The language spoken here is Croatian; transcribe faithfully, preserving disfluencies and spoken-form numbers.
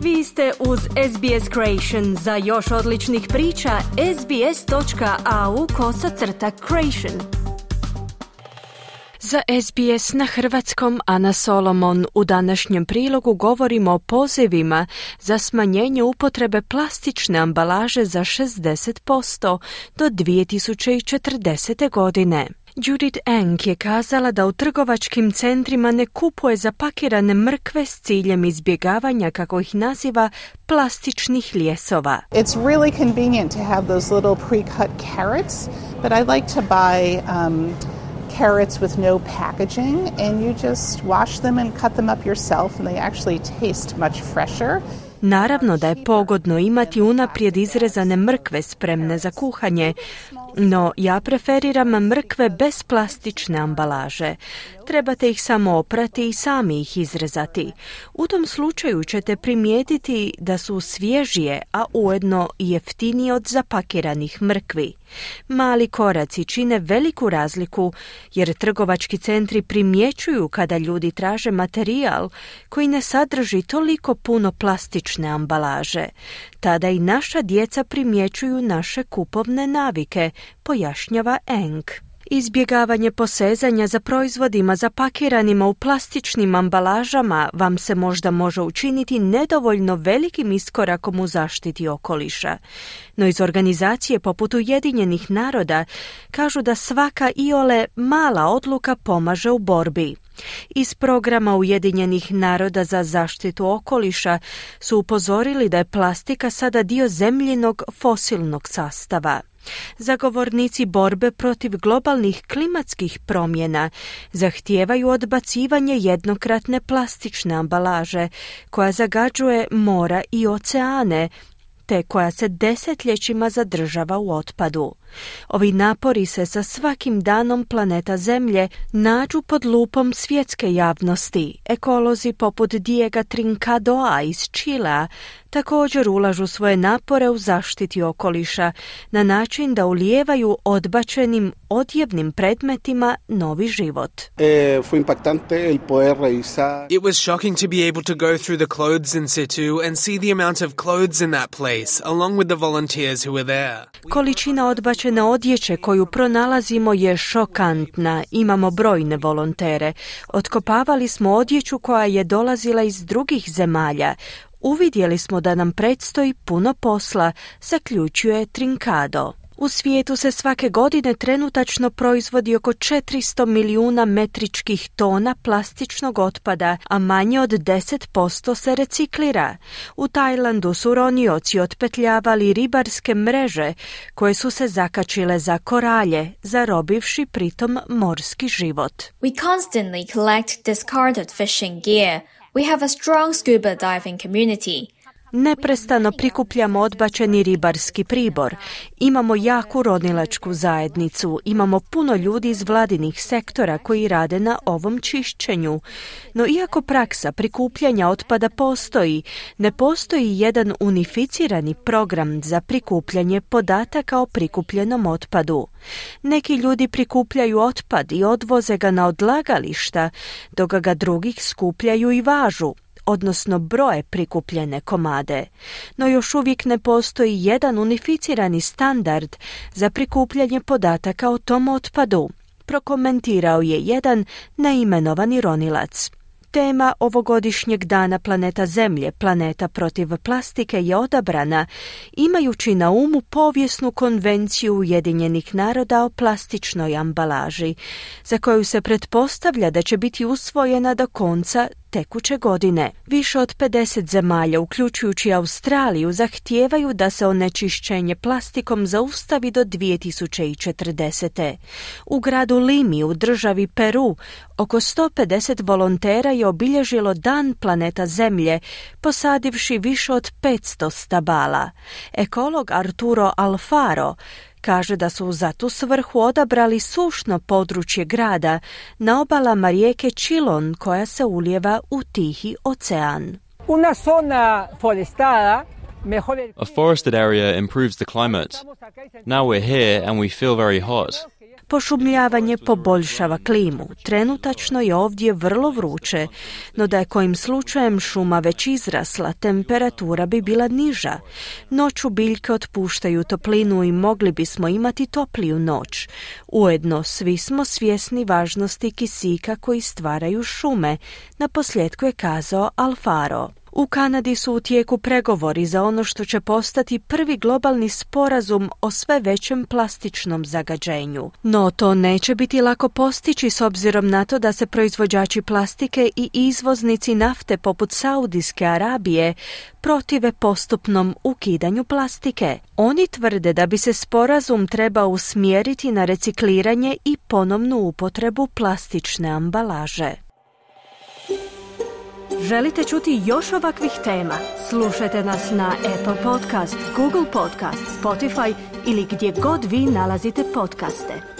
Vi ste uz S B S Creation. Za još odličnih priča, sbs.au kosacrta creation. Za S B S na hrvatskom Ana Solomon. U današnjem prilogu govorimo o pozivima za smanjenje upotrebe plastične ambalaže za šezdeset posto do dvije tisuće četrdesete. godine. Judith Eng je kazala da u trgovačkim centrima ne kupuje zapakirane mrkve s ciljem izbjegavanja, kako ih naziva, plastičnih ljesova. It's really convenient to have those little pre-cut carrots, but I like to buy um, carrots with no packaging, and you just wash them and cut them up yourself, and they actually taste much fresher. Naravno da je pogodno imati unaprijed izrezane mrkve spremne za kuhanje, no ja preferiram mrkve bez plastične ambalaže. Trebate ih samo oprati i sami ih izrezati. U tom slučaju ćete primijetiti da su svježije, a ujedno i jeftinije od zapakiranih mrkvi. Mali koraci čine veliku razliku, jer trgovački centri primjećuju kada ljudi traže materijal koji ne sadrži toliko puno plastične ambalaže. Tada i naša djeca primjećuju naše kupovne navike, pojašnjava Eng. Izbjegavanje posezanja za proizvodima zapakiranima u plastičnim ambalažama vam se možda može učiniti nedovoljno velikim iskorakom u zaštiti okoliša. No iz organizacije poput Ujedinjenih naroda kažu da svaka iole mala odluka pomaže u borbi. Iz programa Ujedinjenih naroda za zaštitu okoliša su upozorili da je plastika sada dio zemljinog fosilnog sastava. Zagovornici borbe protiv globalnih klimatskih promjena zahtijevaju odbacivanje jednokratne plastične ambalaže koja zagađuje mora i oceane, te koja se desetljećima zadržava u otpadu. Ovi napori se sa svakim danom planeta Zemlje nađu pod lupom svjetske javnosti. Ekolozi poput Diega Trincadoa iz Čilea također ulažu svoje napore u zaštiti okoliša na način da ulijevaju odbačenim odjevnim predmetima novi život. Eh, fue impactante el poder revisar. It was shocking to be able to go through the clothes in situ and see the amount of clothes in that place, along with the volunteers who were there. Količina odbačene odjeće koju pronalazimo je šokantna. Imamo brojne volontere. Otkopavali smo odjeću koja je dolazila iz drugih zemalja. Uvidjeli smo da nam predstoji puno posla, zaključuje Trincado. U svijetu se svake godine trenutačno proizvodi oko četiristo milijuna metričkih tona plastičnog otpada, a manje od deset posto se reciklira. U Tajlandu su ronioci otpetljavali ribarske mreže koje su se zakačile za koralje, zarobivši pritom morski život. We constantly collect discarded fishing gear. We have a strong scuba diving community. Neprestano prikupljamo odbačeni ribarski pribor. Imamo jaku ronilačku zajednicu. Imamo puno ljudi iz vladinih sektora koji rade na ovom čišćenju. No iako praksa prikupljanja otpada postoji, ne postoji jedan unificirani program za prikupljanje podataka o prikupljenom otpadu. Neki ljudi prikupljaju otpad i odvoze ga na odlagališta, dok ga drugih skupljaju i važu, odnosno broje prikupljene komade. No još uvijek ne postoji jedan unificirani standard za prikupljanje podataka o tom otpadu, prokomentirao je jedan neimenovani ronilac. Tema ovogodišnjeg dana planeta Zemlje, planeta protiv plastike, je odabrana imajući na umu povijesnu konvenciju Ujedinjenih naroda o plastičnoj ambalaži, za koju se pretpostavlja da će biti usvojena do konca tekuće godine. Više od pedeset zemalja, uključujući Australiju, zahtijevaju da se onečišćenje plastikom zaustavi do dvije tisuće četrdesete. U gradu Limi u državi Peru oko sto pedeset volontera je obilježilo Dan planeta Zemlje, posadivši više od petsto stabala. Ekolog Arturo Alfaro kaže da su za tu svrhu odabrali sušno područje grada na obalama rijeke Chilon koja se ulijeva u Tihi ocean. Una zona forestada A forested area improves the climate. Now we're here and we feel very hot. Pošumljavanje poboljšava klimu. Trenutačno je ovdje vrlo vruće, no da je kojim slučajem šuma već izrasla, temperatura bi bila niža. Noću biljke otpuštaju toplinu i mogli bismo imati topliju noć. Ujedno, svi smo svjesni važnosti kisika koji stvaraju šume, naposljetku je kazao Alfaro. U Kanadi su u tijeku pregovori za ono što će postati prvi globalni sporazum o sve većem plastičnom zagađenju. No to neće biti lako postići s obzirom na to da se proizvođači plastike i izvoznici nafte poput Saudijske Arabije protive postupnom ukidanju plastike. Oni tvrde da bi se sporazum trebao usmjeriti na recikliranje i ponovnu upotrebu plastične ambalaže. Želite čuti još ovakvih tema? Slušajte nas na Apple Podcast, Google Podcast, Spotify ili gdje god vi nalazite podcaste.